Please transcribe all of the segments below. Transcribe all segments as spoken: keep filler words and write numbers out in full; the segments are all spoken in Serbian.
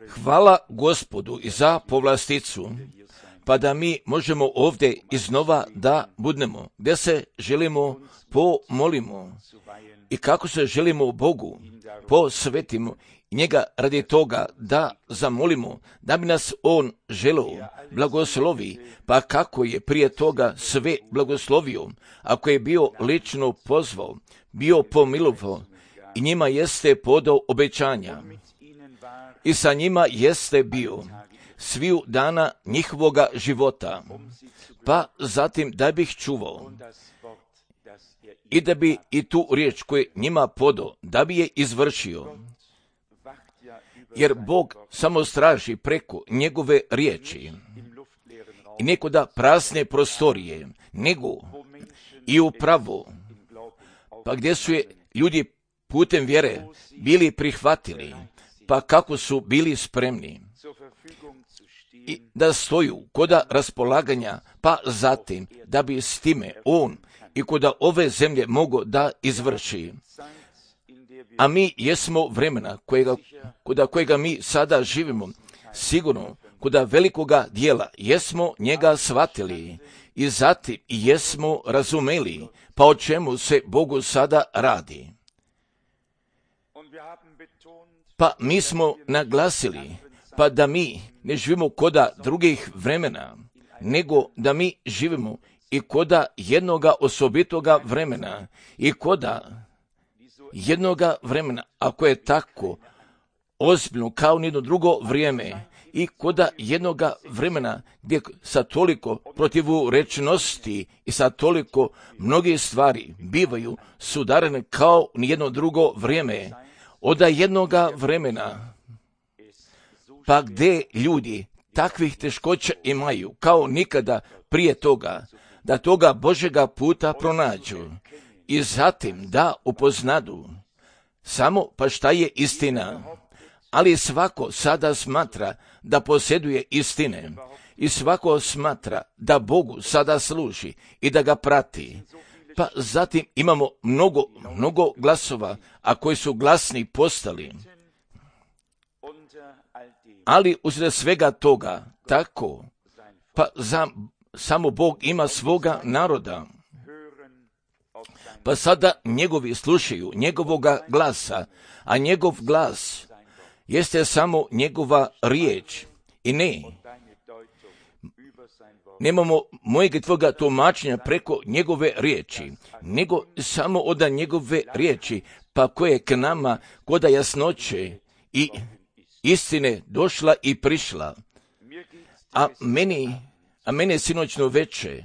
Hvala Gospodu i za povlasticu, pa da mi možemo ovdje iznova da budemo, gdje se želimo pomolimo i kako se želimo Bogu posvetimo i njega radi toga da zamolimo, da bi nas On želeo blagoslovi, pa kako je prije toga sve blagoslovio, ako je bio lično pozvao, bio pomilovao i njima jeste podao obećanja i sa njima jeste bio sviju dana njihovoga života, pa zatim da bih čuvao i da bi i tu riječ koju njima podao, da bi je izvršio. Jer Bog samo straži preko njegove riječi i nekoda prazne prostorije, nego i upravo, pa gdje su je ljudi putem vjere bili prihvatili, pa kako su bili spremni i da stoju koda raspolaganja, pa zatim da bi s time On i koda ove zemlje mogo da izvrši. A mi jesmo vremena kojega, koda kojega mi sada živimo, sigurno koda velikoga dijela jesmo njega shvatili i zatim jesmo razumeli, pa o čemu se Bogu sada radi. Pa mi smo naglasili, pa da mi ne živimo koda drugih vremena, nego da mi živimo i koda jednoga osobitoga vremena i koda jednoga vremena, ako je tako ozbiljno kao nijedno drugo vrijeme i koda jednoga vremena gdje sa toliko protivurečnosti i sa toliko mnogih stvari bivaju sudarene kao nijedno drugo vrijeme, od jednoga vremena, pa gdje ljudi takvih teškoća imaju kao nikada prije toga, da toga Božjega puta pronađu i zatim da upoznadu samo pa šta je istina, ali svako sada smatra da posjeduje istine i svako smatra da Bogu sada služi i da ga prati. Pa zatim imamo mnogo, mnogo glasova, a koji su glasni postali. Ali usred svega toga, tako, pa za, samo Bog ima svoga naroda. Pa sada njegovi slušaju njegovoga glasa, a njegov glas jeste samo njegova riječ. I ne, nemamo mojeg i tvoga tumačenja preko njegove riječi, nego samo od njegove riječi, pa koje k nama koda jasnoće i istine došla i prišla. A meni, a mene sinoćno veče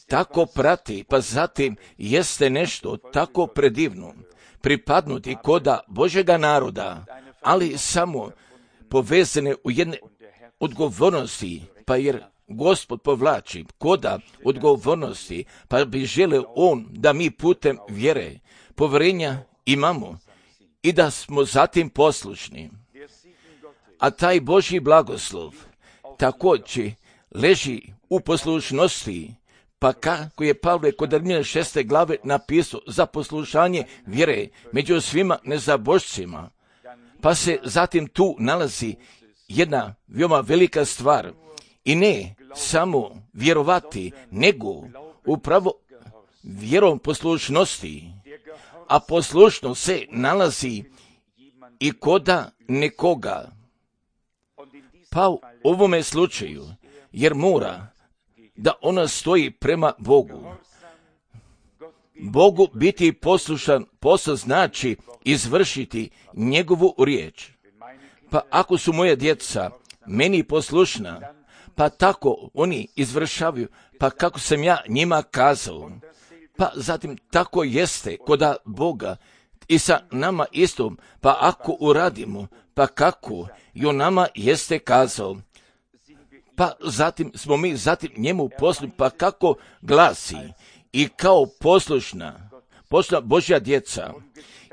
tako prati, pa zatim jeste nešto tako predivno, pripadnuti koda Božjega naroda, ali samo povezane u jedne odgovornosti, pa jer Gospod povlači koda odgovornosti, pa bi želeo On da mi putem vjere, povjerenja imamo i da smo zatim poslušni. A taj Božji blagoslov također leži u poslušnosti, pa kako je Pavle kod Rimljana šeste glave napisao za poslušanje vjere među svima nezabožcima, pa se zatim tu nalazi jedna veoma velika stvar i ne samo vjerovati, nego upravo vjerom poslušnosti, a poslušnost se nalazi i koda nekoga. Pa u ovome slučaju, jer mora da ona stoji prema Bogu. Bogu biti poslušan posao znači izvršiti njegovu riječ. Pa ako su moja djeca meni poslušna, pa tako oni izvršavaju, pa kako sam ja njima kazao, pa zatim tako jeste koda Boga i sa nama istom, pa ako uradimo, pa kako i on nama jeste kazao, pa zatim smo mi zatim njemu poslušni, pa kako glasi i kao poslušna, poslušna Božja djeca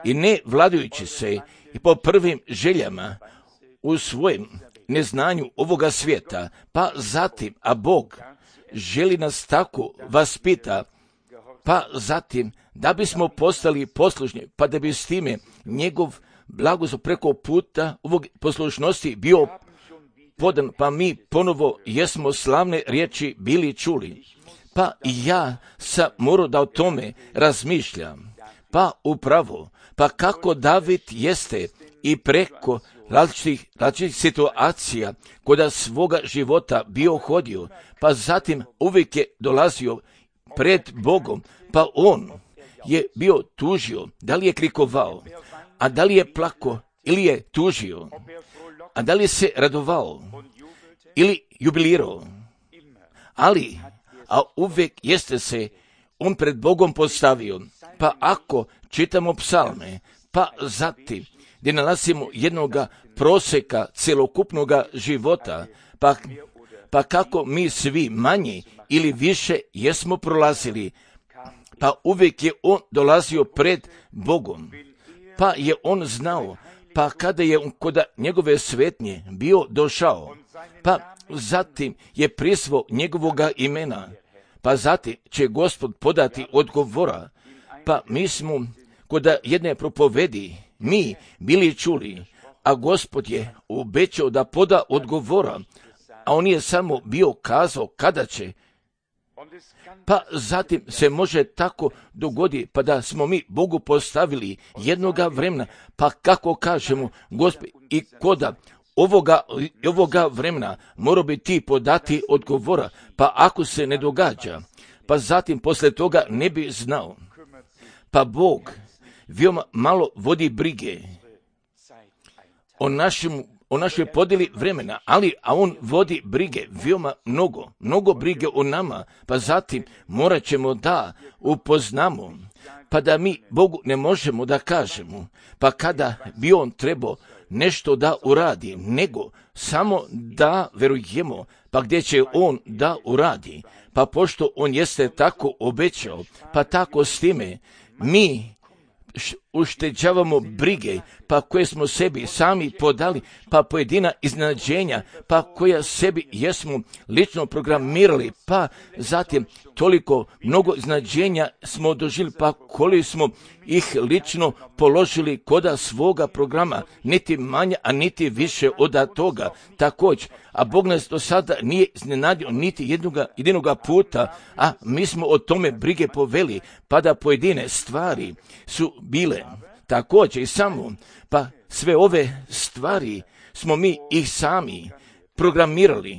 i ne vladajući se i po prvim željama u svojem neznanju ovoga svijeta, pa zatim, a Bog želi nas tako vaspita, pa zatim da bismo postali poslušni, pa da bi s time njegov blagoslov preko puta ovog poslušnosti bio podan, pa mi ponovo jesmo slavne riječi bili čuli. Pa ja sam morao da o tome razmišljam. Pa upravo, pa kako David jeste i preko različitih, različitih situacija koda svoga života bio hodio, pa zatim uvijek je dolazio pred Bogom, pa on je bio tužio, da li je krikovao, a da li je plako ili je tužio, a da li je se radovao ili jubilirao, ali, a uvijek jeste se on pred Bogom postavio. Pa ako čitamo psalme, pa zatim gdje nalazimo jednoga proseka celokupnoga života, pa, pa kako mi svi manje ili više jesmo prolazili, pa uvijek je on dolazio pred Bogom, pa je on znao, pa kada je on kod njegove svetnje bio došao, pa zatim je prizvao njegovoga imena, pa zatim će Gospod podati odgovora. Pa mi smo kod jedne propovedi mi bili čuli, a Gospod je obećao da poda odgovora, a on je samo bio kazao kada će. Pa zatim se može tako dogodi, pa da smo mi Bogu postavili jednoga vremena, pa kako kažemo, Gospod, i koda ovoga, ovoga vremena mora bi ti podati odgovora, pa ako se ne događa, pa zatim posle toga ne bi znao. Pa Bog veoma malo vodi brige o našem, o našoj podjeli vremena, ali a on vodi brige veoma mnogo, mnogo brige o nama, pa zatim morat ćemo da upoznamo, pa da mi Bogu ne možemo da kažemo, pa kada bi on trebao nešto da uradi, nego samo da verujemo, pa gdje će on da uradi, pa pošto on jeste tako obećao, pa tako s time mi ušteđavamo brige, pa koje smo sebi sami podali, pa pojedina iznenađenja, pa koja sebi jesmo lično programirali, pa zatim toliko mnogo iznenađenja smo doživjeli, pa koliko smo ih lično položili koda svoga programa, niti manje, a niti više od toga. Također, a Bog nas do sada nije iznenadio niti jednoga, jednoga puta, a mi smo o tome brige poveli, pa da pojedine stvari su bile također i samo, pa sve ove stvari smo mi ih sami programirali,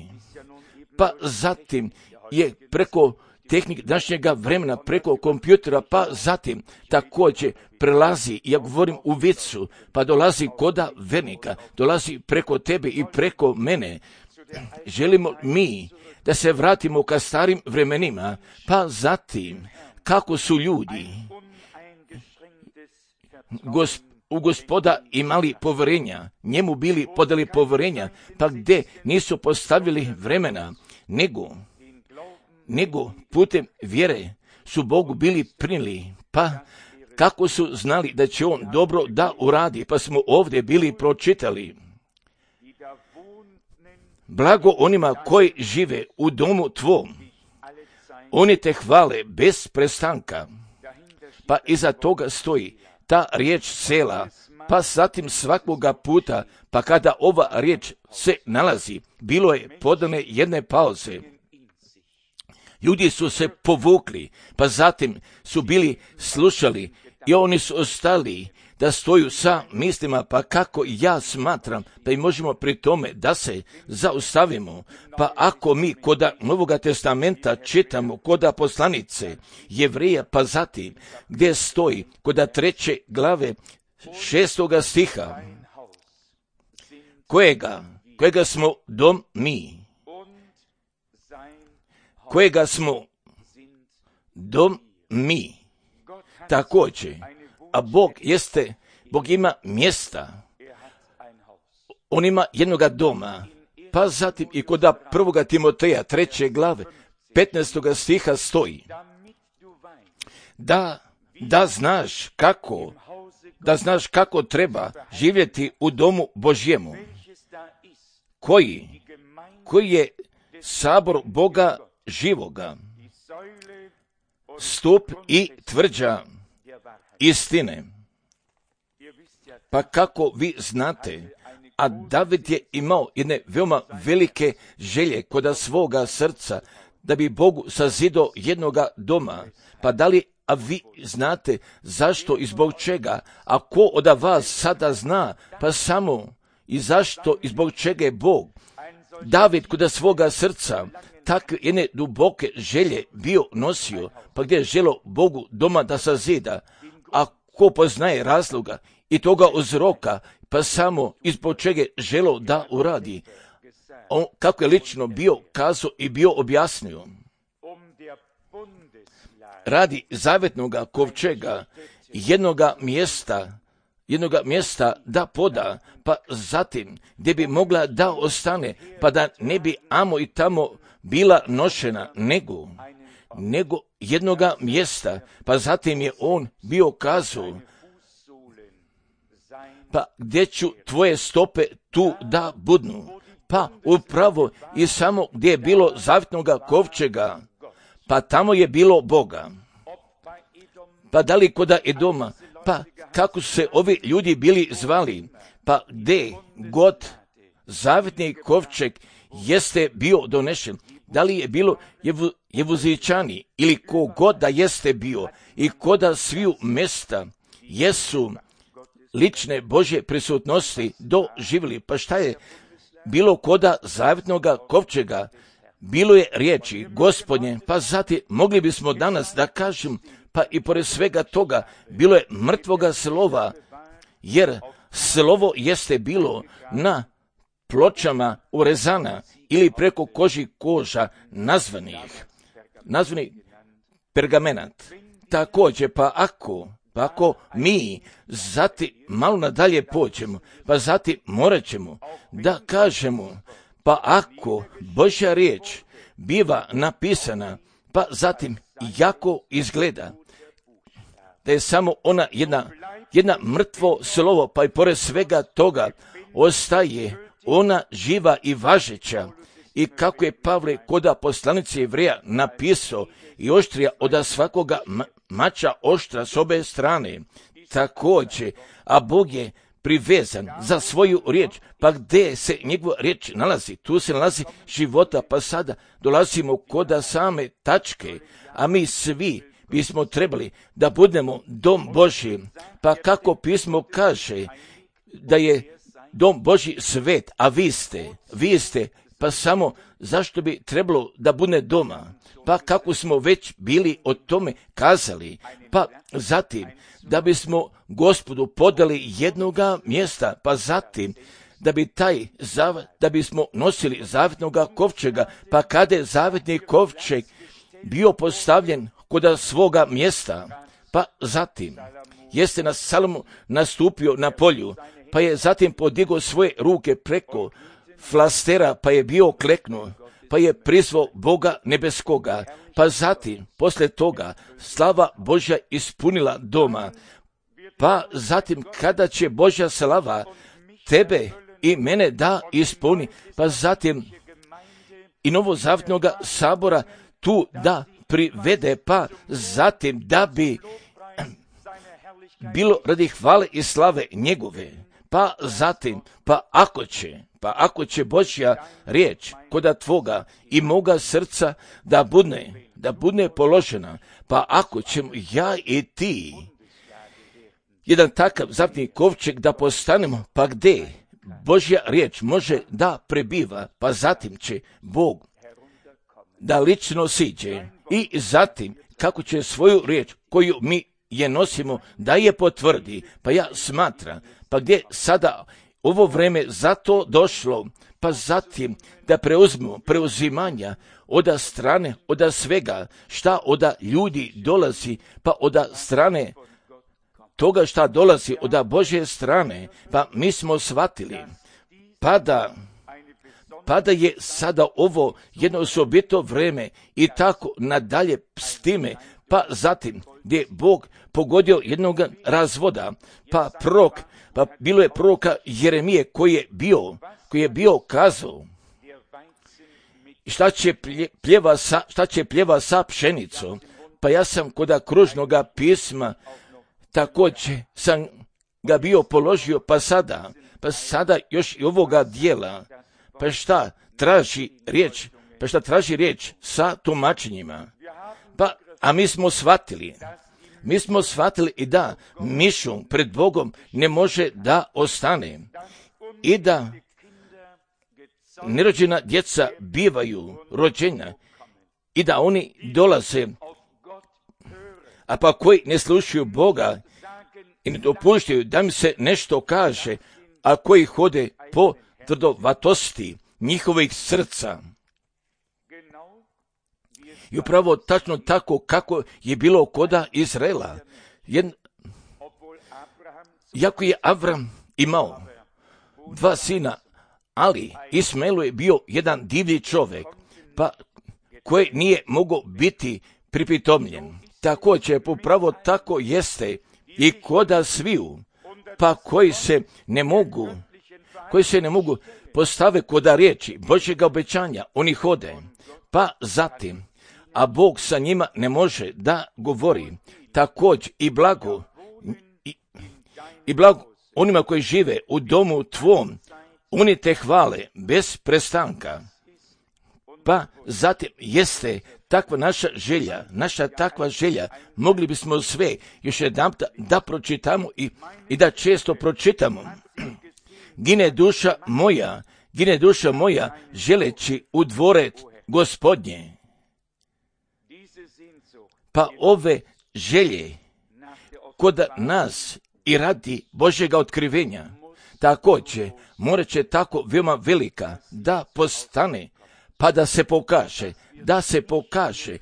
pa zatim je preko tehnik današnjega vremena, preko kompjutera, pa zatim također prelazi, ja govorim u vicu, pa dolazi koda vernika, dolazi preko tebe i preko mene. Želimo mi da se vratimo ka starim vremenima, pa zatim kako su ljudi Gosp, u Gospoda imali povjerenja, njemu bili podali povjerenja, pa gdje nisu postavili vremena, nego, nego putem vjere su Bogu bili prinili, pa kako su znali da će on dobro da uradi, pa smo ovdje bili pročitali. Blago onima koji žive u domu tvom, oni te hvale bez prestanka, pa iza toga stoji ta riječ sela, pa zatim svakoga puta, pa kada ova riječ se nalazi, bilo je podane jedne pauze. Ljudi su se povukli, pa zatim su bili slušali i oni su ostali da stoju sa mislima, pa kako ja smatram, pa i možemo pri tome da se zaustavimo. Pa ako mi koda Novoga testamenta čitamo koda poslanice Jevreja, pa zatim gdje stoji koda treće glave šestoga stiha, kojega, kojega smo dom mi, kojega smo dom mi, također. A Bog jeste, Bog ima mjesta, on ima jednoga doma, pa zatim i kod prvoga Timoteja treće glave petnaestoga stiha stoji, da, da znaš kako, da znaš kako treba živjeti u domu Božjemu, koji, koji je sabor Boga živoga, stup i tvrđa istine. Pa kako vi znate, a David je imao jedne veoma velike želje kod svoga srca, da bi Bogu sazidao jednoga doma. Pa da li, a vi znate zašto i zbog čega? A ko od vas sada zna, pa samo i zašto i zbog čega je Bog David kod svoga srca takve jedne duboke želje bio nosio, pa gdje je želo Bogu doma da sazida, a ko poznaje razloga i toga uzroka, pa samo ispod čega je želo da uradi. On kako je lično bio kazao i bio objasnio. Radi zavetnoga kovčega, jednoga mjesta, jednoga mjesta da poda, pa zatim gdje bi mogla da ostane, pa da ne bi amo i tamo bila nošena, nego, nego jednoga mjesta, pa zatim je on bio kazao, pa gdje ću tvoje stope tu da budnu, pa upravo i samo gdje je bilo zavetnoga kovčega, pa tamo je bilo Boga. Pa da li koda Edoma, pa kako su se ovi ljudi bili zvali, pa gdje god zavetni kovčeg jeste bio donešen, da li je bilo jevu, Jevuzičani ili kogod da jeste bio i koda sviju mesta jesu lične Božje prisutnosti doživjeli. Pa šta je bilo koda zavetnoga kovčega? Bilo je riječi Gospodnje, pa zatim mogli bismo danas da kažem, pa i pored svega toga bilo je mrtvoga slova, jer slovo jeste bilo na pločama urezana ili preko koži koža nazvanih, nazvani pergamenat. Također, pa ako, pa ako mi zatim malo nadalje pođemo, pa zatim morat ćemo da kažemo, pa ako Božja riječ biva napisana, pa zatim jako izgleda da je samo ona jedna, jedna mrtvo slovo, pa i pored svega toga ostaje ona živa i važeća. I kako je Pavle koda poslanice Jevreja napisao, i oštrija od svakoga mača oštra s obe strane, također, a Bog je privezan za svoju riječ, pa gdje se njegova riječ nalazi, tu se nalazi života, pa sada dolazimo koda same tačke, a mi svi bismo trebali da budemo dom Božji, pa kako pismo kaže da je dom Božji svet, a vi ste, vi ste, pa samo zašto bi trebalo da bude doma? Pa kako smo već bili o tome kazali, pa zatim da bismo Gospodu podali jednoga mjesta, pa zatim da bi taj zav, da bismo nosili zavetnoga kovčega, pa kada je zavetni kovčeg bio postavljen kod svoga mjesta, pa zatim jeste na Salomo nastupio na polju, pa je zatim podigao svoje ruke preko flastera, pa je bio kleknuo, pa je prizvao Boga nebeskoga, pa zatim, posle toga, slava Božja ispunila doma, pa zatim kada će Božja slava tebe i mene da ispuni, pa zatim i novozavetnoga sabora tu da privede, pa zatim da bi bilo radi hvale i slave njegove, pa zatim, pa ako će, pa ako će Božja riječ koda tvoga i moga srca da budne, da budne položena, pa ako ćemo ja i ti jedan takav zavetni kovčeg da postanemo, pa gdje Božja riječ može da prebiva, pa zatim će Bog da lično siđe i zatim kako će svoju riječ koju mi je nosimo da je potvrdi, pa ja smatram, pa gdje sada ovo vreme zato došlo, pa zatim da preuzmemo preuzimanja od strane, od svega šta od ljudi dolazi, pa od strane toga šta dolazi od Božje strane, pa mi smo shvatili, pa da, pa da je sada ovo jedno osobito vreme i tako nadalje s time, pa zatim gdje je Bog pogodio jednog razvoda, pa prorok, pa bilo je proroka Jeremije koji je bio, koji je bio kazao, šta će pljeva sa, šta će pljeva sa pšenicom, pa ja sam kod kružnoga pisma također sam ga bio položio, pa sada, pa sada još i ovoga dijela, pa šta traži riječ, pa šta traži riječ sa tumačenjima. Pa, a mi smo shvatili, mi smo shvatili i da mišu pred Bogom ne može da ostane i da nerođena djeca bivaju rođena i da oni dolaze, a pa koji ne slušaju Boga i ne dopuštaju da mi se nešto kaže, a koji hode po tvrdovatosti njihovih srca. I upravo tačno tako kako je bilo koda Izraela. Jedn... Jako je Avram imao dva sina, ali Ismaelu je bio jedan divlji čovjek, pa koji nije mogao biti pripitomljen. Također, upravo tako jeste i koda sviju, pa koji se ne mogu, koji se ne mogu postave koda riječi Božjega obećanja, oni hode, pa zatim, a Bog sa njima ne može da govori. Također i blago, i, i blago onima koji žive u domu tvom, oni te hvale bez prestanka. Pa zatim jeste takva naša želja, naša takva želja, mogli bismo sve još jedan da, da pročitamo i, i da često pročitamo. Gine duša moja, gine duša moja, želeći u dvore Gospodnje. Pa ove želje kod nas i radi Božjega otkrivenja, također morat će tako veoma velika da postane, pa da se pokaže, da se pokaže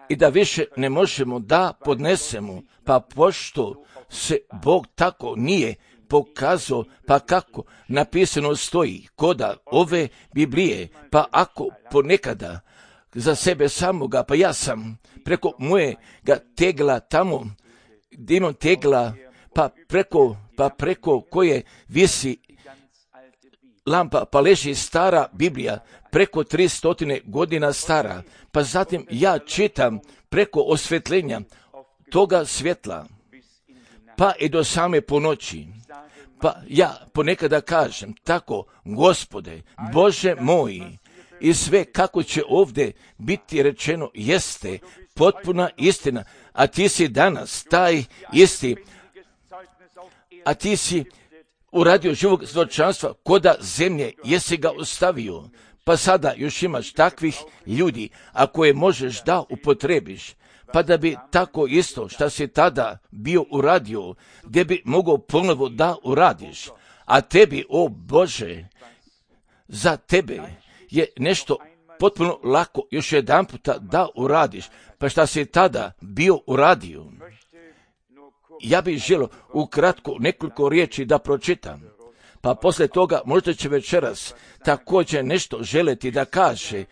i da više ne možemo da podnesemo, pa pošto se Bog tako nije pokazao, pa kako napisano stoji koda ove Biblije, pa ako ponekada za sebe samoga, pa ja sam preko mojega tegla tamo, gdje imam tegla, pa preko, pa preko koje visi lampa, pa leži stara Biblija, preko tristo godina stara, pa zatim ja čitam preko osvjetljenja toga svjetla, pa i do same ponoći. Pa ja ponekada kažem tako, Gospode, Bože moji, i sve kako će ovdje biti rečeno jeste potpuna istina, a ti si danas taj isti, a ti si uradio živog svjedočanstva koda zemlje, jesi ga ostavio, pa sada još imaš takvih ljudi, a koje možeš da upotrebiš, pa da bi tako isto što si tada bio uradio, gdje bi mogao ponovo da uradiš, a tebi, o Bože, za tebe je nešto potpuno lako još jedan puta da uradiš, pa šta si tada bio uradio. Ja bih želio ukratko nekoliko riječi da pročitam, pa poslije toga možda će večeras također nešto želiti da kaže,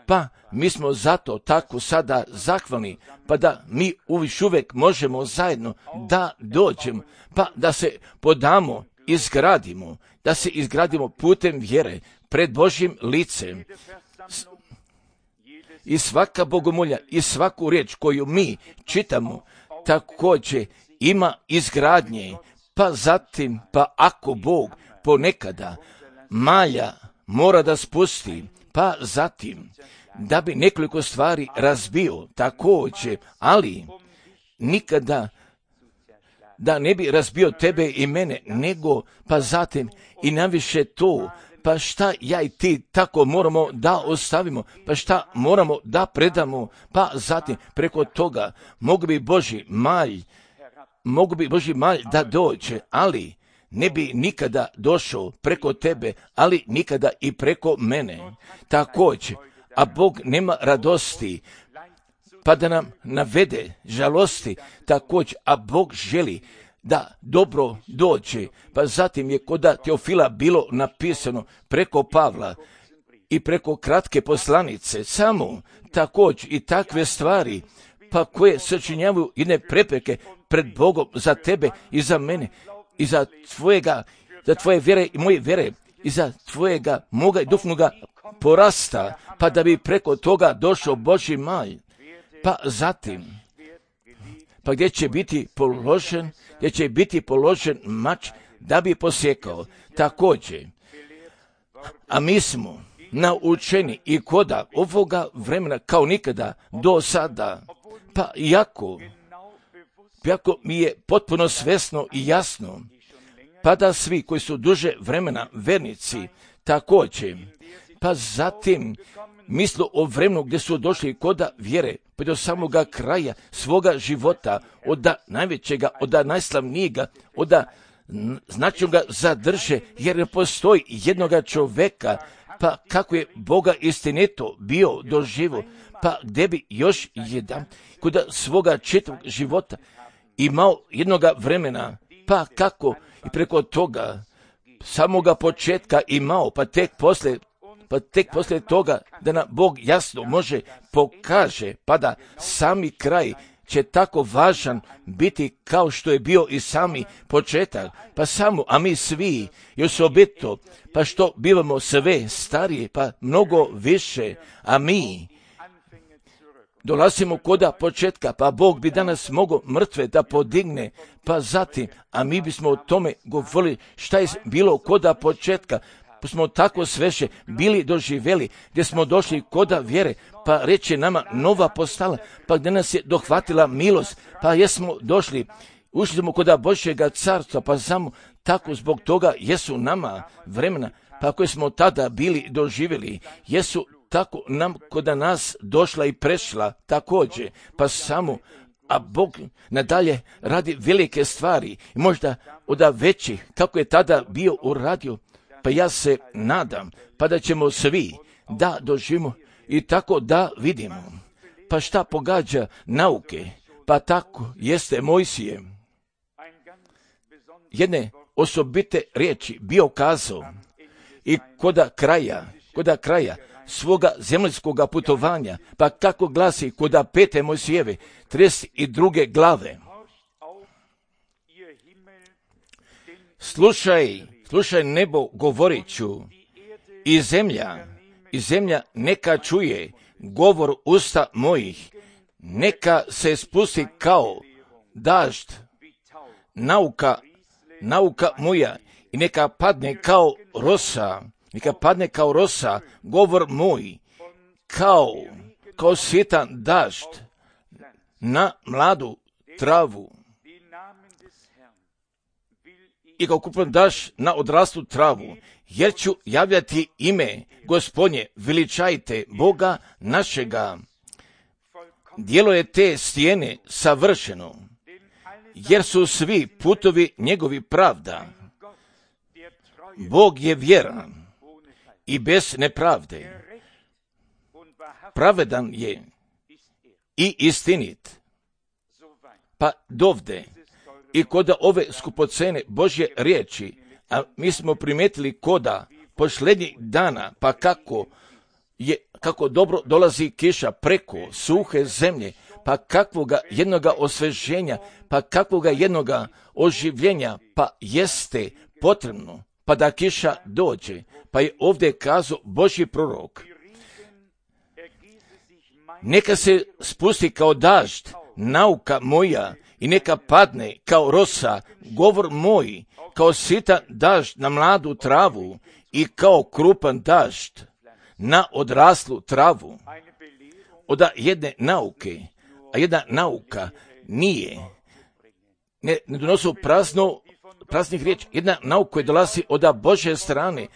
pa mi smo zato tako sada zahvalni, pa da mi uviš uvijek možemo zajedno da dođemo, pa da se podamo, izgradimo, da se izgradimo putem vjere pred Božjim licem. I svaka bogomolja i svaku riječ koju mi čitamo također ima izgradnje, pa zatim, pa ako Bog ponekada malja mora da spusti, pa zatim da bi nekoliko stvari razbio također, ali nikada da ne bi razbio tebe i mene, nego pa zatim i naviše to, pa šta ja i ti tako moramo da ostavimo, pa šta moramo da predamo, pa zatim preko toga mogu bi Božji malj, mogu bi Božji malj da dođe, ali ne bi nikada došao preko tebe, ali nikada i preko mene. Također, a Bog nema radosti, pa da nam navede žalosti, također, a Bog želi da dobro dođe, pa zatim je kod Teofila bilo napisano preko Pavla i preko kratke poslanice, samo također i takve stvari, pa koje sačinjavaju jedne prepreke pred Bogom za tebe i za mene i za tvojega, za tvoje vjere i moje vjere i za tvojega, moga i duhovnoga porasta, pa da bi preko toga došao Božji malj. Pa zatim, pa gdje će biti položen, gdje će biti položen mač da bi posjekao. Također, a mi smo naučeni i koda ovoga vremena kao nikada do sada, pa jako, jako mi je potpuno svjesno i jasno, pa da svi koji su duže vremena vernici također, pa zatim misle o vremenu gdje su došli koda vjere, pa do samoga kraja svoga života, od najvećega, od najslavnijega, od značajnoga zadrže, jer ne postoji jednoga čovjeka, pa kako je Boga istinito bio doživo, pa gdje bi još jedan kod svoga čitavog života imao jednoga vremena, pa kako i preko toga samoga početka imao, pa tek poslije pa tek poslije toga da nam Bog jasno može pokaže, pa da sami kraj će tako važan biti kao što je bio i sami početak, pa samo, a mi svi i osobito, pa što bivamo sve starije, pa mnogo više, a mi dolazimo koda početka, pa Bog bi danas mogao mrtve da podigne, pa zatim, a mi bismo o tome govorili šta je bilo koda početka, pa smo tako sveše bili doživjeli, gdje smo došli koda vjere, pa reče nama nova postala, pa gdje nas je dohvatila milost, pa jesmo došli, ušli smo koda Božjega carstva, pa samo tako zbog toga jesu nama vremena, pa koje smo tada bili doživjeli, jesu tako nam koda nas došla i prešla također, pa samo, a Bog nadalje radi velike stvari, i možda od većih, kako je tada bio uradio, pa ja se nadam, pa da ćemo svi da doživimo i tako da vidimo. Pa šta pogađa nauke? Pa tako jeste Mojsije jedne osobite riječi bio kazao i koda kraja, koda kraja svoga zemaljskoga putovanja, pa kako glasi koda pete Mojsijeve, trideset druge glave. Slušaj, slušaj nebo govorit ću, i zemlja, i zemlja neka čuje govor usta mojih, neka se spusti kao dažd, nauka, nauka moja, i neka padne kao rosa, neka padne kao rosa, govor moj, kao, kao sitan dažd na mladu travu. I kao kupan daš na odraslu travu, jer ću javljati ime Gospodnje, veličajte Boga našega. Djelo je te stijene savršeno, jer su svi putovi njegovi pravda. Bog je vjeran i bez nepravde. Pravedan je i istinit. Pa dovde i koda ove skupocene Božje riječi, a mi smo primijetili koda posljednjih dana, pa kako je, kako dobro dolazi kiša preko suhe zemlje, pa kakvoga jednoga osveženja, pa kakvoga jednoga oživljenja, pa jeste potrebno, pa da kiša dođe, pa je ovdje kazao Božji prorok. Neka se spusti kao dažd, nauka moja, i neka padne kao rosa, govor moj, kao sitan dažd na mladu travu i kao krupan dažd na odraslu travu. Od jedne nauke, a jedna nauka nije, ne, ne donosi prazno, praznih riječi, jedna nauka koja dolazi od Božje strane,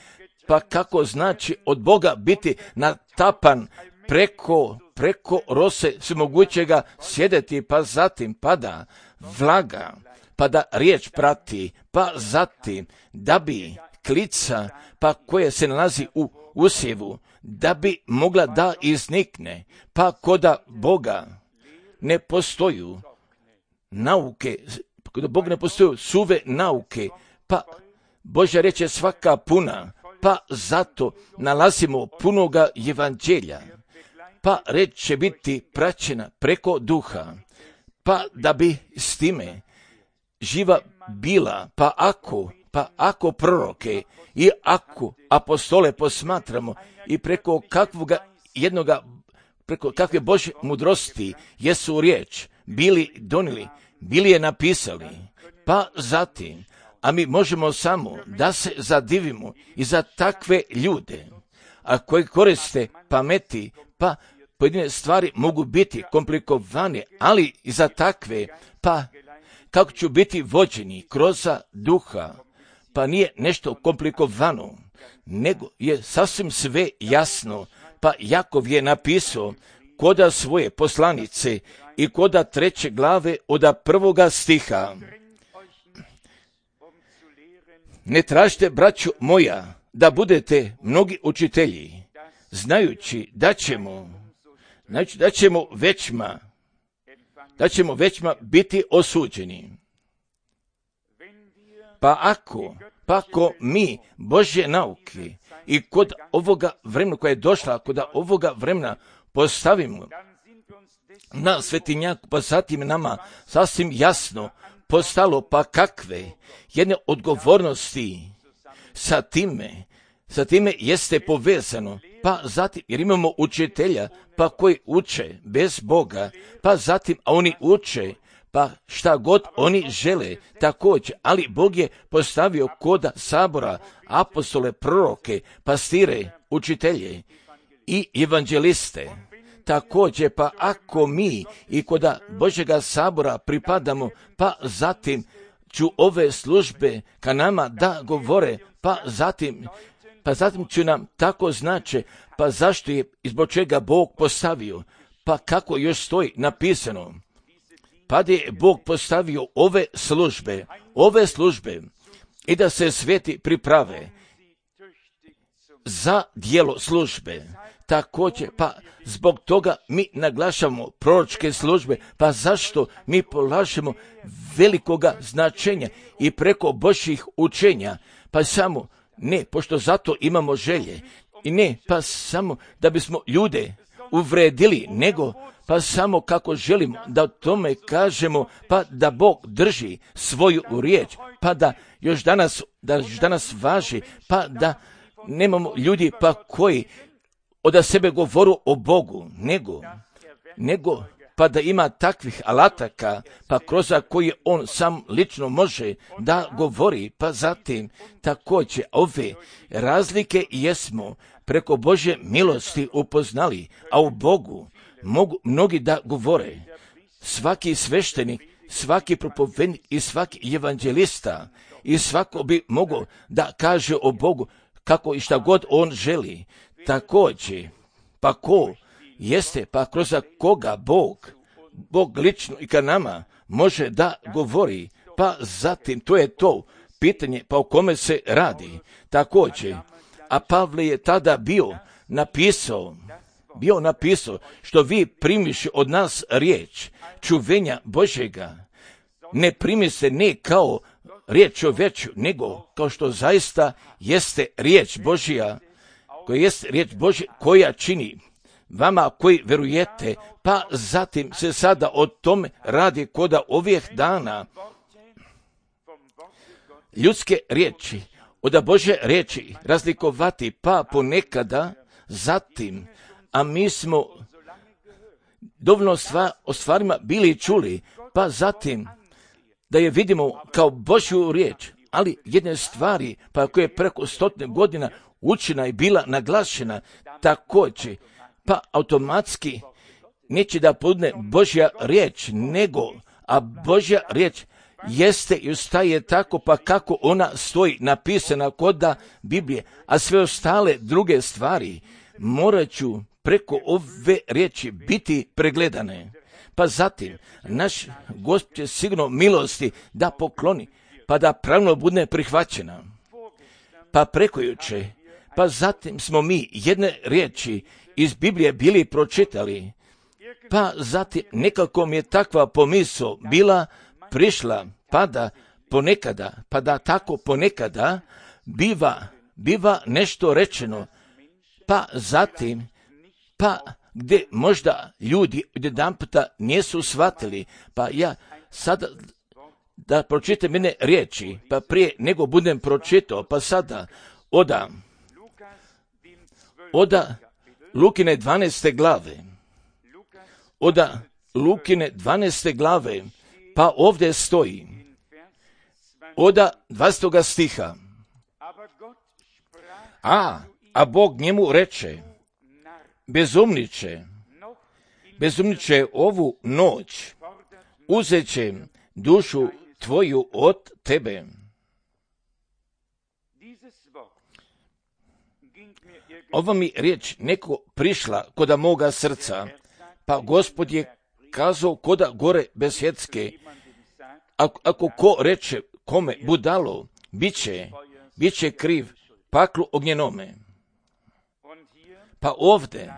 pa kako znači od Boga biti natapan preko, preko rose svemogućega sjedeti, pa zatim pada vlaga, pa da riječ prati, pa zatim da bi klica, pa koja se nalazi u usjevu, da bi mogla da iznikne, pa koda Boga ne postoju nauke, koda Boga ne postoju suve nauke, pa Božja riječ je svaka puna, pa zato nalazimo punoga evanđelja, pa riječ će biti praćena preko duha, pa da bi s time živa bila, pa ako, pa ako proroke i ako apostole posmatramo i preko kakvoga jednoga, preko kakve Božje mudrosti jesu riječ, bili donijeli, bili je napisali, pa zatim, a mi možemo samo da se zadivimo i za takve ljude, a koji koriste pameti, pa pojedine stvari mogu biti komplikovane, ali i za takve, pa kako ću biti vođeni kroz duha, pa nije nešto komplikovano, nego je sasvim sve jasno, pa Jakov je napisao koda svoje poslanice i koda treće glave od prvoga stiha. Ne tražite, braćo moja, da budete mnogi učitelji, znajući da ćemo, znači da ćemo većma, da ćemo većma biti osuđeni. Pa ako, pa ako mi Božje nauke i kod ovoga vremena koja je došla, kod ovoga vremena postavimo na svetinjaku, pa zatim nama sasvim jasno postalo, pa kakve jedne odgovornosti sa time, sa time jeste povezano, pa zatim, jer imamo učitelja, pa koji uče bez Boga, pa zatim, a oni uče, pa šta god oni žele, također, ali Bog je postavio koda sabora apostole, proroke, pastire, učitelje i evanđeliste. Također, pa ako mi i koda Božjega sabora pripadamo, pa zatim ću ove službe ka nama da govore, pa zatim, pa zatim ću nam tako znače, pa zašto je i zbog čega Bog postavio, pa kako još stoji napisano, pa da je Bog postavio ove službe, ove službe i da se sveti priprave za djelo službe. Također, pa zbog toga mi naglašamo proročke službe, pa zašto mi polažemo velikoga značenja i preko Božjih učenja, pa samo ne, pošto zato imamo želje, i ne, pa samo da bismo ljude uvredili, nego pa samo kako želimo da o tome kažemo, pa da Bog drži svoju riječ, pa da još danas, da još danas važi, pa da nemamo ljudi pa koji od sebe govoru o Bogu, nego, nego pa da ima takvih alataka, pa kroz koje on sam lično može da govori, pa zatim također ove razlike jesmo preko Božje milosti upoznali, a u Bogu mogu mnogi da govore. Svaki sveštenik, svaki propovednik i svaki evanđelista i svako bi mogao da kaže o Bogu kako i šta god on želi. Također, pa ko jeste, pa kroz koga Bog, Bog lično i ka nama može da govori, pa zatim to je to pitanje pa o kome se radi. Također, a Pavle je tada bio napisao, bio napisao, što vi primiš od nas riječ čuvenja Božjega, ne primi se ne kao riječ o veću, nego kao što zaista jeste riječ Božja, koja jest riječ Božja koja čini vama koji verujete, pa zatim se sada o tome radi koda ovih dana ljudske riječi od Božje riječi razlikovati, pa ponekada zatim, a mi smo dovoljno stvar, o stvarima bili čuli, pa zatim da je vidimo kao Božju riječ, ali jedne stvari pa koje je preko stotine godina učena i bila naglašena također, pa automatski neće da podne Božja riječ, nego, a Božja riječ jeste i ostaje tako pa kako ona stoji napisana koda Biblije, a sve ostale druge stvari morat ću preko ove riječi biti pregledane. Pa zatim, naš Gospod će sigurno milosti da pokloni, pa da pravno bude prihvaćena. Pa preko juče, pa zatim smo mi jedne riječi iz Biblije bili pročitali, pa zatim nekako mi je takva pomisao bila prišla, pa da ponekada, pa da tako ponekada biva, biva nešto rečeno, pa zatim, pa gdje možda ljudi jedan puta nisu shvatili, pa ja sada da pročitam jedne riječi, pa prije nego budem pročitao, pa sada oda, oda Lukine dvanaeste glave, oda Lukine dvanaeste glave, pa ovdje stoji, od dvadesetog stiha, a, a Bog njemu reče, bezumniče, bezumniče, ovu noć uzet će dušu tvoju od tebe. Ova mi riječ neko prišla koda moga srca, pa Gospod je kazao koda gore besjedske, ako, ako ko reče kome budalo, bit će, bit će kriv paklu ognjenome. Pa ovdje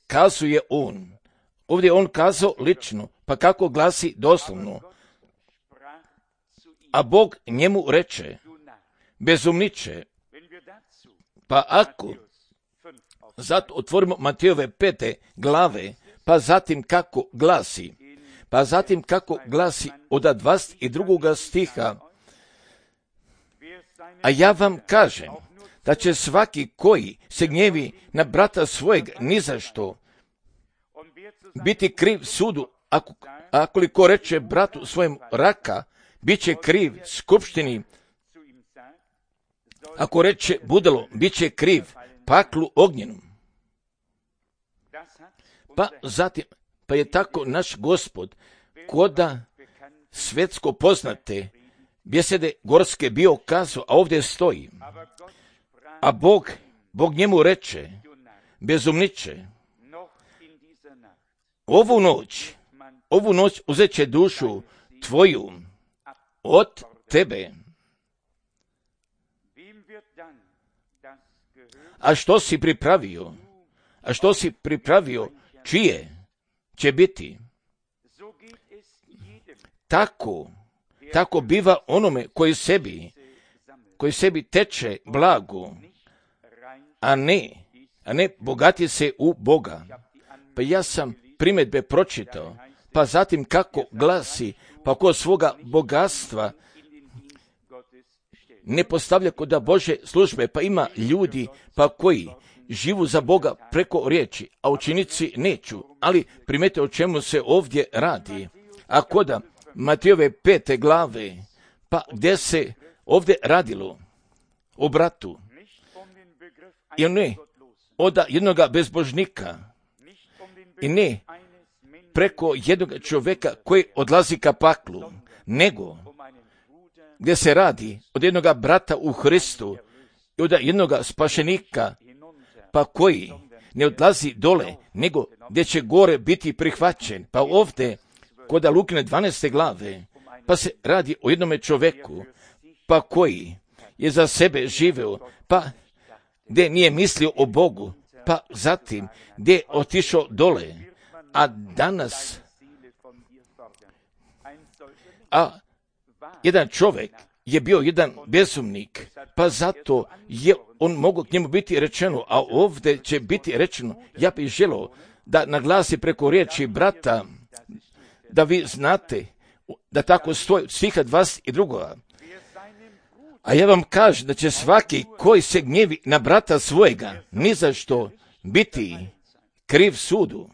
kazuje on, ovdje je on kazao lično, pa kako glasi doslovno, a Bog njemu reče, bezumniče. Pa ako zato otvorimo Matejove pete glave, pa zatim kako glasi, pa zatim kako glasi od dvadeset drugog stiha, a ja vam kažem da će svaki koji se gnjevi na brata svojeg ni za što biti kriv sudu, ako, akoliko reče bratu svojem raka, bit će kriv skupštini, ako reče budalo, bit će kriv paklu ognjenom. Pa zatim, pa je tako naš Gospod, koda svetsko poznate bjesede gorske bio kazao, a ovdje stoji, a Bog, Bog njemu reče, bezumniče, ovu noć, ovu noć uzet će dušu tvoju od tebe. A što si pripravio? A što si pripravio? Čije će biti? Tako, tako biva onome koji sebi, koji sebi teče blago, a ne, a ne bogati se u Boga. Pa ja sam primjedbe pročitao, pa zatim kako glasi, pa ko svoga bogatstva ne postavlja kod Bože službe, pa ima ljudi pa koji živu za Boga preko riječi, a učenici neću, ali primete o čemu se ovdje radi. A koda Matejove pete glave, pa gdje se ovdje radilo o bratu, i ne od jednoga bezbožnika, i ne preko jednog čovjeka koji odlazi ka paklu, nego gdje se radi od jednoga brata u Hristu i od jednoga spašenika, pa koji ne odlazi dole, nego gdje će gore biti prihvaćen. Pa ovdje, kod Lukine dvanaeste glave, pa se radi o jednome čovjeku, pa koji je za sebe živeo, pa gdje nije mislio o Bogu, pa zatim gdje je otišao dole, a danas, a jedan čovjek je bio jedan bezumnik, pa zato je on mogao k njemu biti rečeno, a ovdje će biti rečeno, ja bih želio da naglasi preko riječi brata, da vi znate da tako stoji stiha dvadeset dva. A ja vam kažem da će svaki koji se gnjevi na brata svojega ni za što biti kriv sudu.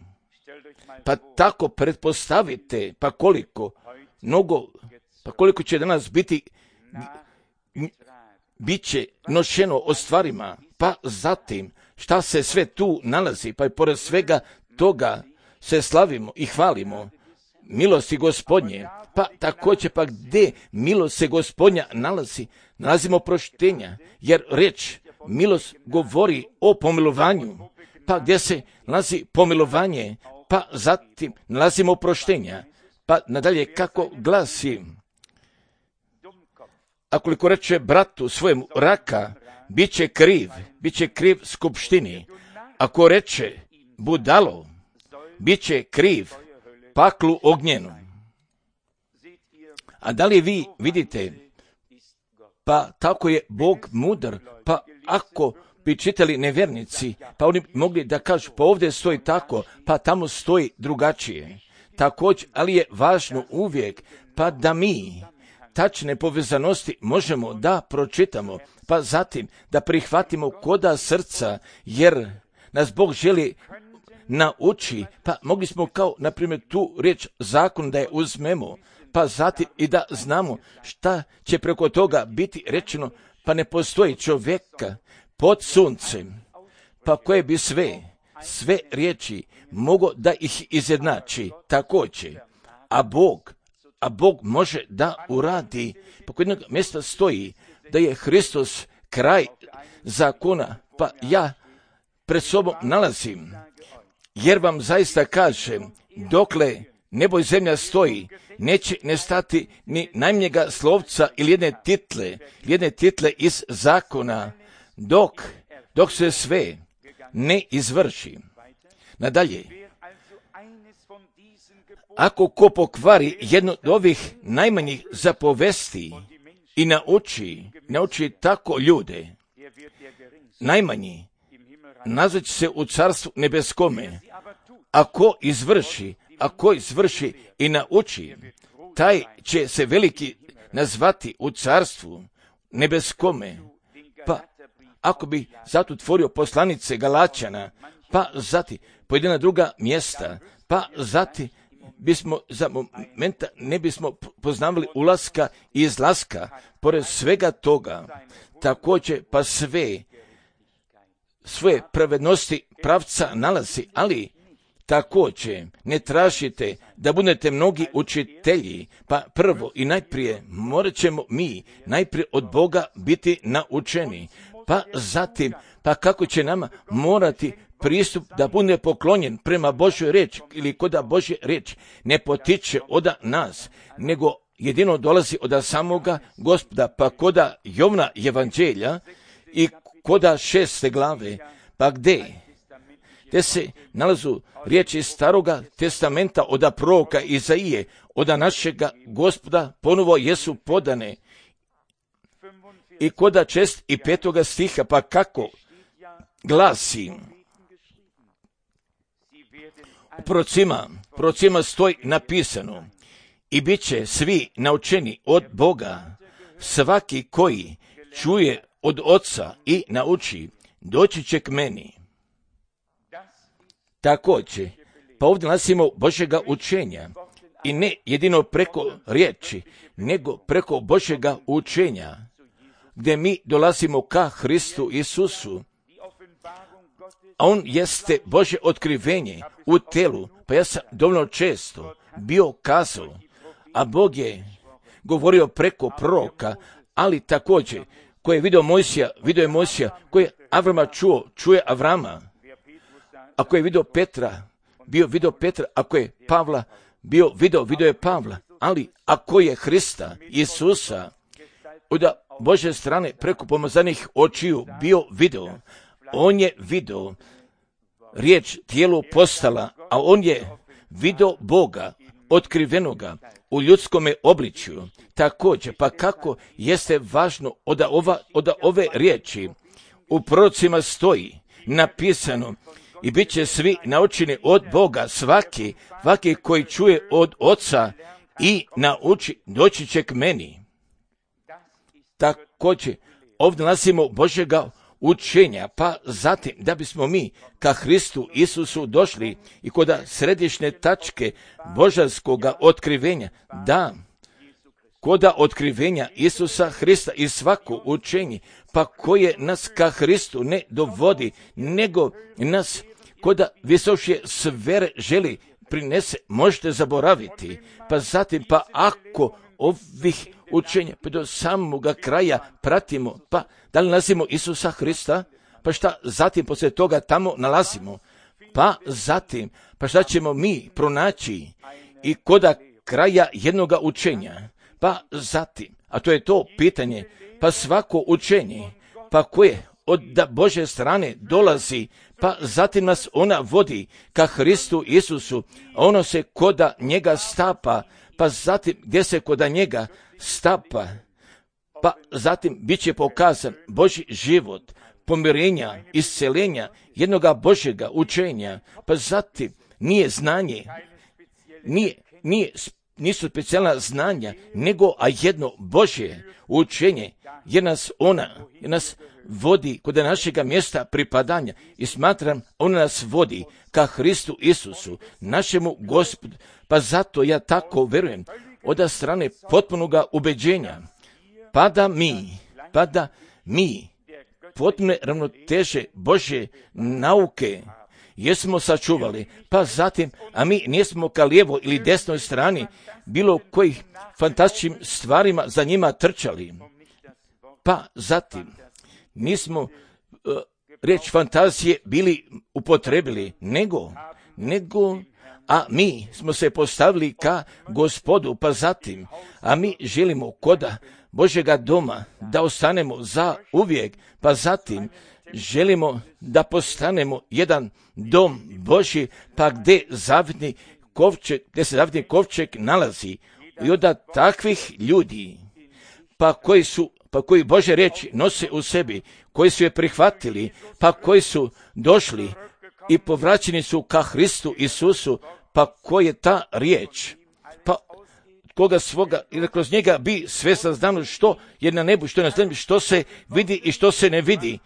Pa tako pretpostavite, pa koliko, mnogo, pa koliko će danas biti, bit će nošeno o stvarima, pa zatim šta se sve tu nalazi, pa i pored svega toga se slavimo i hvalimo milosti Gospodnje, pa također pa gdje milost se Gospodnja nalazi, nalazimo proštenja, jer reč milost govori o pomilovanju, pa gdje se nalazi pomilovanje, pa zatim nalazimo proštenja, pa nadalje kako glasi, akoliko reče bratu svojemu raka, bit će kriv, bit će kriv skupštini, ako reče budalo, bit će kriv paklu ognjenu. A da li vi vidite, pa tako je Bog mudar, pa ako bi čitali nevjernici, pa oni mogli da kažu, pa ovdje stoji tako, pa tamo stoji drugačije. Također, ali je važno uvijek, pa da mi tačne povezanosti možemo da pročitamo, pa zatim da prihvatimo koda srca, jer nas Bog želi nauči, pa mogli smo kao, na primjer, tu riječ zakon da je uzmemo, pa zatim i da znamo šta će preko toga biti rečeno, pa ne postoji čovjeka pod suncem, pa koje bi sve, sve riječi mogo da ih izjednači također, a Bog, a Bog može da uradi, pa kod jednog mjesta stoji da je Hristos kraj zakona, pa ja pred sobom nalazim, jer vam zaista kažem, dokle nebo i zemlja stoji, neće nestati ni najmanjega slovca ili jedne title, jedne title iz zakona, dok, dok se sve ne izvrši. Nadalje, ako ko pokvari jedno od ovih najmanjih zapovesti i nauči, nauči tako ljude, najmanji, nazvat će se u carstvu nebeskome, ako izvrši, ako izvrši i nauči, taj će se veliki nazvati u carstvu nebeskome. Pa ako bi zato otvorio poslanice Galačana, pa zati pojedina druga mjesta, pa zati bismo za momenta ne bismo poznavali ulaska i izlaska, pored svega toga, također pa sve svoje pravednosti pravca nalazi, ali također ne tražite da budete mnogi učitelji, pa prvo i najprije morat ćemo mi najprije od Boga biti naučeni, pa zatim, pa kako će nama morati pristup da bude poklonjen prema Božoj riječi ili koda Božja riječ ne potiče od nas, nego jedino dolazi od samoga Gospoda, pa koda Jovna evanđelja i koda šeste glave, pa gdje? Gdje se nalazu riječi staroga testamenta od proroka Izaije, od našega Gospoda ponovo jesu podane. I koda čest i petoga stiha, pa kako glasi, u prorocima, prorocima stoji napisano, i bit će svi naučeni od Boga, svaki koji čuje od Oca i nauči, doći će k meni. Također, pa ovdje nalazimo Božjega učenja, i ne jedino preko riječi, nego preko Božjega učenja, gdje mi dolazimo ka Hristu Isusu, a on jeste Božje otkrivenje u telu, pa ja sam dovoljno često bio kazao, a Bog je govorio preko proroka, ali također, koji je vidio Mojsija, vidio je Mojsija, koji je Avrama čuo, čuje Avrama, ako je vidio Petra, bio vidio Petra, ako je Pavla, bio vidio, vidio je Pavla, ali ako je Hrista, Isusa, od Božje strane preko pomazanih očiju bio video, on je video, riječ tijelu postala, a on je video Boga, otkrivenoga u ljudskome obličju. Također, pa kako jeste važno od, ova, od ove riječi u prorocima stoji napisano, i bit će svi naučeni od Boga, svaki, svaki koji čuje od Oca i nauči, doći će k meni. Također, ovdje nalazimo Božjega učenja, pa zatim da bismo mi ka Hristu Isusu došli i kod središnje tačke božanskoga otkrivenja, da, koda otkrivenja Isusa Hrista i svako učenje, pa koje nas ka Hristu ne dovodi, nego nas koda visošije sfere želi prinese, možete zaboraviti, pa zatim, pa ako ovih učenja pa do samoga kraja pratimo, pa da li nalazimo Isusa Hrista, pa šta zatim poslije toga tamo nalazimo, pa zatim, pa šta ćemo mi pronaći i koda kraja jednoga učenja, pa zatim, a to je to pitanje, pa svako učenje, pa koje od Božje strane dolazi, pa zatim nas ona vodi ka Hristu Isusu, a ono se koda njega stapa, pa zatim gdje se koda njega stapa, pa zatim bit će pokazan Božji život, pomirenja, isceljenja, jednoga Božjega učenja, pa zatim nije znanje, nije, nije, nisu specijalna znanja, nego a jedno Božje učenje, jer nas ona, jer nas vodi kod našega mjesta pripadanja i smatram, ona nas vodi ka Hristu Isusu, našemu Gospodu, pa zato ja tako verujem od strane potpunoga ubeđenja, pa da mi, pa da mi potpune ravnoteže Božje nauke jesmo sačuvali, pa zatim, a mi nismo ka lijevo ili desnoj strani bilo kojih fantastičnim stvarima za njima trčali, pa zatim nismo uh, riječ fantazije bili upotrebili, nego, nego, a mi smo se postavili ka Gospodu, pa zatim, a mi želimo koda Božjega doma da ostanemo za uvijek, pa zatim želimo da postanemo jedan dom Božji, pa gdje zavitni kovčeg, gdje se zavitni kovčeg nalazi i onda takvih ljudi, pa koji su, pa koji Božje riječi nose u sebi, koji su je prihvatili, pa koji su došli i povraćeni su ka Hristu Isusu, pa koji je ta riječ, pa koga svoga, ili kroz njega bi sve saznano što je na nebu, što je na zemlji, što se vidi i što se ne vidi,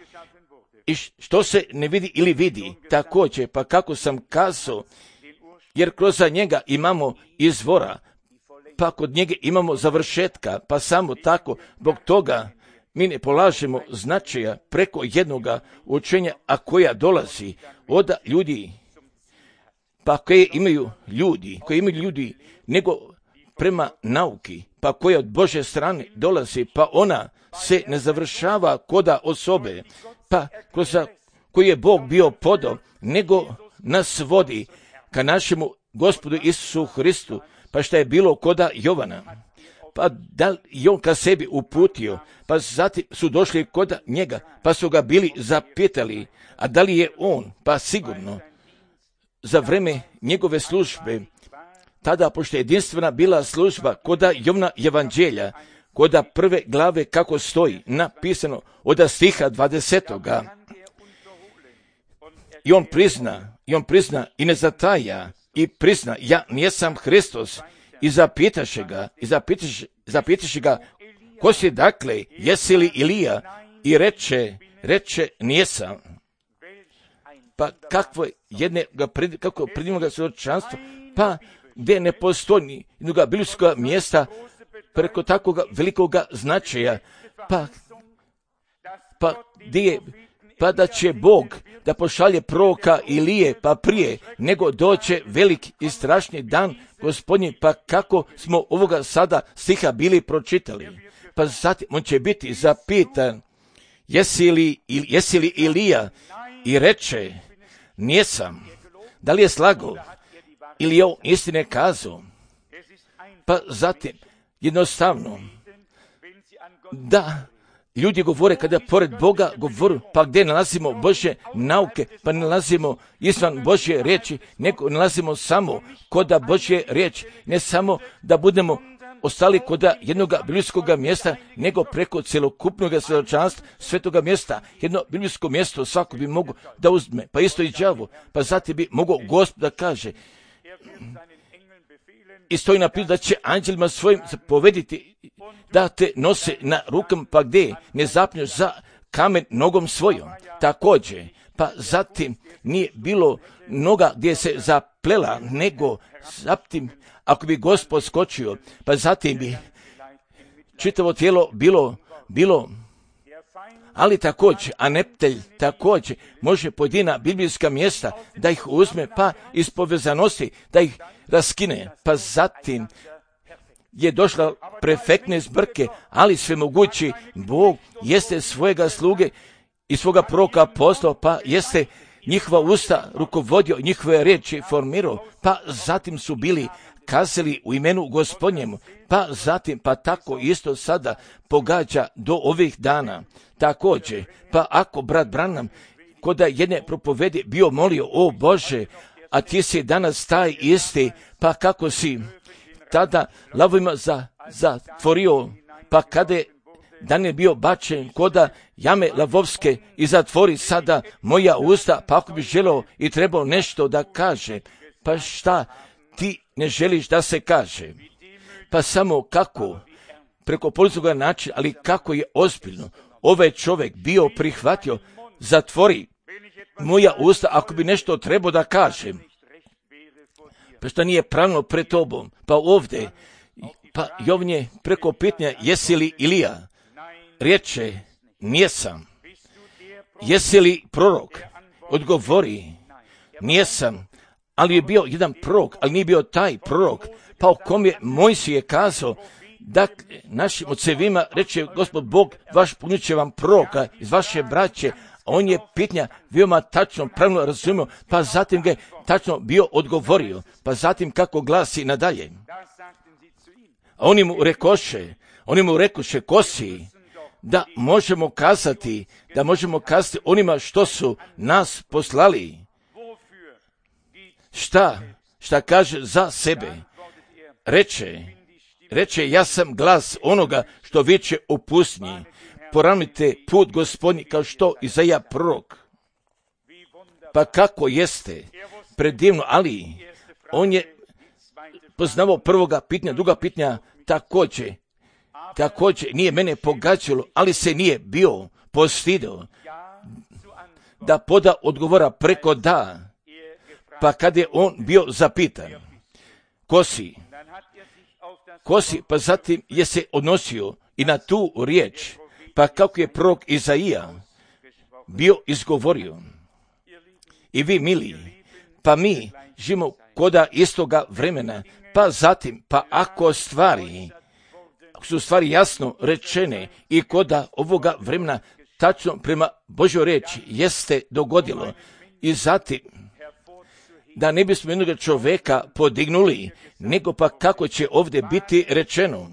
i što se ne vidi ili vidi, također, pa kako sam kazao, jer kroz njega imamo izvora, pa kod njega imamo završetka, pa samo tako, zbog toga mi ne polažemo značaja preko jednoga učenja, a koja dolazi od ljudi, pa koje imaju ljudi, koje imaju ljudi, nego prema nauki, pa koja od Božje strane dolazi, pa ona se ne završava koda osobe, pa kroz koji je Bog bio podao, nego nas vodi ka našemu Gospodu Isusu Hristu, pa šta je bilo koda Jovana, pa da li on ka sebi uputio, pa zatim su došli koda njega, pa su ga bili zapitali, a da li je on, pa sigurno, za vreme njegove službe, tada, pošto je jedinstvena bila služba koda Jovna evanđelja, koda prve glave kako stoji, napisano od stiha dvadesetoga. I on prizna, i on prizna i ne zataja, i prizna, ja nisam Hristos, i zapitaše ga, i zapitaše, zapitaše ga, ko si dakle, jesi li Ilija? I reče, reče, nisam. Pa kakvo jedne, kako predivno ga svjedočanstvo, pa gdje ne postoji jednoga biblijskog mjesta preko takvog velikog značaja, pa, pa gdje je, pa da će Bog da pošalje proroka Ilije, pa prije nego doće velik i strašni dan Gospodnji, pa kako smo ovoga sada stiha bili pročitali, pa zatim on će biti zapitan, jesi li, jesi li Ilija? I reče, nisam. Da li je slagao ili je on istine kazao? Pa zatim, jednostavno, da ljudi govore kada pored Boga govoru, pa gdje nalazimo Božje nauke, pa ne nalazimo izvan Božje riječi, nego nalazimo samo koda Božje riječi, ne samo da budemo ostali koda jednog biblijskog mjesta, nego preko cjelokupnog svjedočanstva svetoga mjesta. Jedno biblijsko mjesto svako bi mogao da uzme, pa isto i đavo, pa zatim bi mogao Gospod da kaže, i stoji napisano da će anđelima svojim zapovediti da te nose na rukama, pa gdje ne zapneš za kamen nogom svojom. Također, pa zatim nije bilo noga gdje se zaplela, nego zatim, ako bi Gospod skočio, pa zatim bi čitavo tijelo bilo, bilo, ali također, a neptelj također može pojedina biblijska mjesta da ih uzme, pa iz povezanosti da ih raskine, pa zatim je došla prefektne zbrke, ali svemogući Bog jeste svojega sluge i svoga proroka poslao, pa jeste njihova usta rukovodio, njihove riječi formirao, pa zatim su bili kazali u imenu Gospodnjemu, pa zatim, pa tako isto sada pogađa do ovih dana. Također, pa ako brat Branham koda jedne propovedi bio molio, o Bože, a ti si danas taj isti, pa kako si tada lavovima za, zatvorio, pa kada je dan je bio bačen koda jame lavovske i zatvori sada moja usta, pa ako bi želeo i trebao nešto da kaže, pa šta ti ne želiš da se kaže? Pa samo kako, preko policijskog načina, ali kako je ozbiljno, ovaj čovjek bio prihvatio, zatvori moja usta ako bi nešto trebao da kažem. Pa što nije pravno pred tobom? Pa ovdje, pa Jovnje preko pitanja, jesi li Ilija? Riječe, nijesam. Jesi li prorok? Odgovori, nijesam. Ali je bio jedan prorok, ali nije bio taj prorok, pa o kom je Mojsije kazao, da našim ocevima reče Gospod Bog, vaš punit će vam proroka iz vaše braće, a on je pitanja veoma tačno, pravilno razumio, pa zatim ga je tačno bio odgovorio, pa zatim kako glasi nadalje. A oni mu rekoše, oni mu rekoše, ko si, da možemo kazati, da možemo kazati onima što su nas poslali. Šta, šta kaže za sebe? Reče, reče, ja sam glas onoga što viče u pustinji. Poravnite put Gospodnji kao što Izaija prorok. Pa kako jeste? Predivno, ali on je poznavao prvoga pitanja, druga pitanja također. Također nije mene pogađalo, ali se nije bio postidio da poda odgovora preko da. Pa kad je on bio zapitan, ko si? Ko si? Pa zatim je se odnosio i na tu riječ, pa kako je prorok Izaija bio izgovorio. I vi, mili, pa mi živimo koda istoga vremena, pa zatim, pa ako stvari, ako su stvari jasno rečene i koda ovoga vremena tačno prema Božoj riječi jeste dogodilo i zatim, da ne bismo jednog čovjeka podignuli, nego pa kako će ovdje biti rečeno.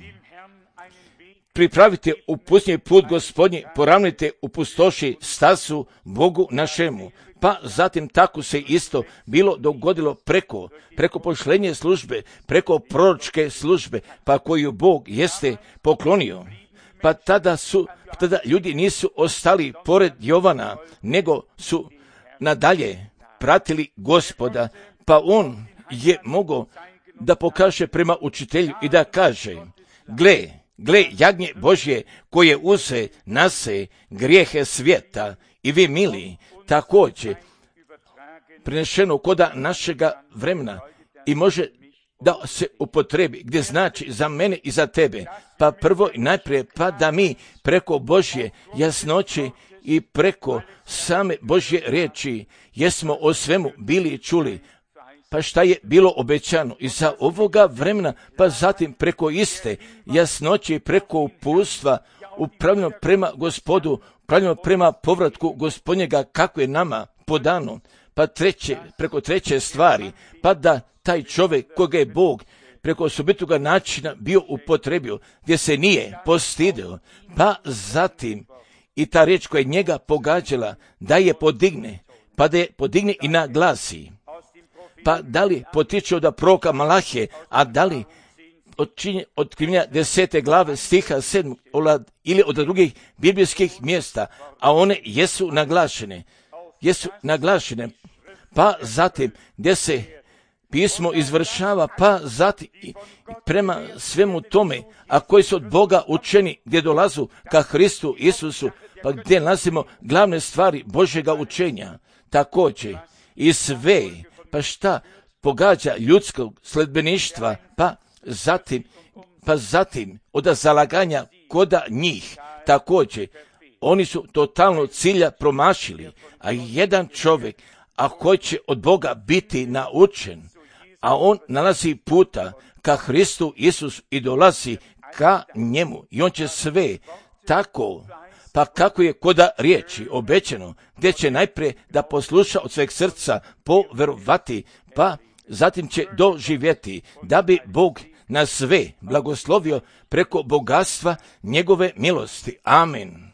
Pripravite u pustinji put Gospodnji, poravnite u pustoši stazu Bogu našemu. Pa zatim tako se isto bilo dogodilo preko, preko pošlenje službe, preko proročke službe, pa koju Bog jeste poklonio. Pa tada su, tada ljudi nisu ostali pored Jovana, nego su nadalje pratili Gospoda, pa on je mogao da pokaže prema učitelju i da kaže, gle, gle jagnje Božje koje uze nase grijehe svijeta. I vi, mili, također prenešeno koda našega vremena i može da se upotrebi, gdje znači za mene i za tebe. Pa prvo i najprije, pa da mi preko Božje jasnoće i preko same Božje riječi jesmo o svemu bili čuli, pa šta je bilo obećano i za ovoga vremena, pa zatim preko iste jasnoće i preko upustva upravljeno prema Gospodu, upravljeno prema povratku Gospodnjega kako je nama podano, pa treće, preko treće stvari, pa da taj čovjek koga je Bog preko osobitoga načina bio upotrebio, gdje se nije postidio, pa zatim i ta riječ koja je njega pogađala, da je podigne, pa da je podigne i naglasi. Pa da li potiče od proroka Malahije, a da li otkrivljenja desete glave stiha sedmog ili od drugih biblijskih mjesta, a one jesu naglašene, jesu naglašene, pa zatim gdje se pismo izvršava, pa zatim prema svemu tome, a koji su od Boga učeni, gdje dolazu ka Hristu Isusu, pa gdje nalazimo glavne stvari Božjega učenja, također i sve, pa šta pogađa ljudskog sledbeništva, pa zatim, pa zatim od zalaganja koda njih, također, oni su totalno cilja promašili, a jedan čovjek, a koji će od Boga biti naučen, a on nalazi puta ka Hristu Isusu i dolazi ka njemu i on će sve tako, pa kako je koda riječi obećano, gdje će najprije da posluša od sveg srca poverovati, pa zatim će doživjeti da bi Bog na sve blagoslovio preko bogatstva njegove milosti. Amen.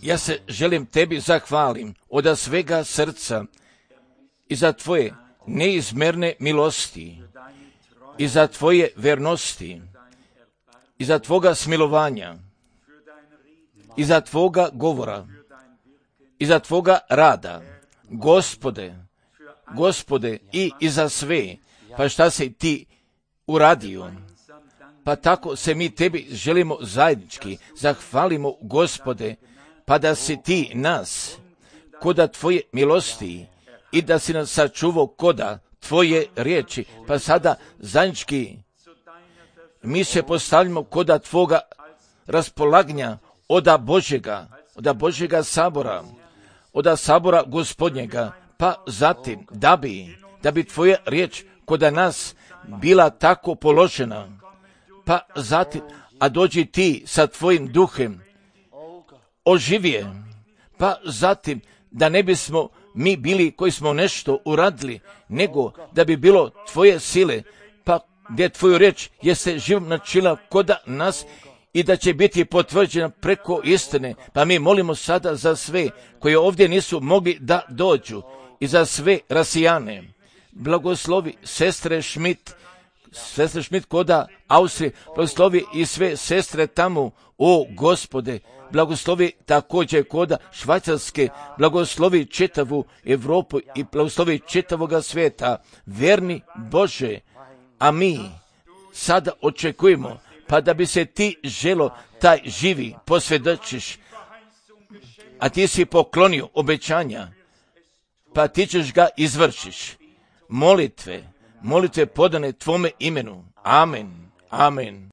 Ja se želim tebi zahvalim od svega srca i za tvoje neizmjerne milosti, i za tvoje vernosti, i za tvoga smilovanja, i za tvoga govora, i za tvoga rada, Gospode, Gospode, i, i za sve, pa šta si ti uradio. Pa tako se mi tebi želimo zajednički zahvalimo, Gospode, pa da si ti nas koda tvoje milosti i da si nas sačuvao koda tvoje riječi. Pa sada zajednički mi se postavljamo koda tvoga raspolaganja oda Božjega, oda Božjega sabora, oda sabora Gospodnjega, pa zatim da bi, da bi tvoja riječ koda nas bila tako položena, pa zatim, a dođi ti sa tvojim duhem, oživije, pa zatim da ne bismo mi bili koji smo nešto uradili, nego da bi bilo tvoje sile, pa gdje tvoju riječ jeste živom načela koda nas i da će biti potvrđena preko istine. Pa mi molimo sada za sve koji ovdje nisu mogli da dođu i za sve rasijane. Blagoslovi sestre Schmidt, sestre Schmidt koda Austrije, blagoslovi i sve sestre tamo, o Gospode, blagoslovi također koda Švajcarske, blagoslovi čitavu Europu i blagoslovi čitavoga svijeta, verni Bože, a mi sada očekujemo, pa da bi se ti želo taj živi posvjedočiš, a ti si poklonio obećanja, pa ti ćeš ga izvršiš. Molitve, molitve podane tvome imenu. Amen, amen.